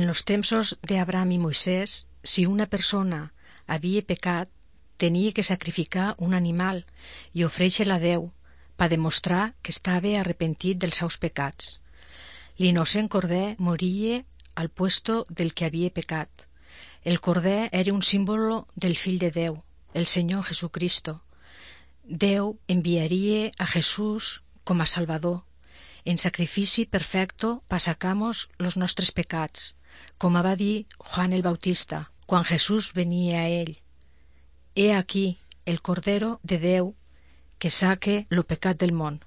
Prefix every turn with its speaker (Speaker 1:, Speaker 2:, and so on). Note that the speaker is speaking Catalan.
Speaker 1: En los tempos de Abraham y Moisés, si una persona havia pecat, tenia que sacrificar un animal i ofréixer-la a Déu per demostrar que estava arrepentit dels seus pecats. L'innocent corder moria al puesto del que havia pecat. El corder era un símbolo del Fill de Déu, el Senyor Jesucristo. Déu enviaria a Jesús com a Salvador, en sacrifici perfecto per sacar-nos los nostres pecats, com va dir Juan el Bautista quan Jesús venia a ell. He aquí el Cordero de Déu que saque lo pecat del món.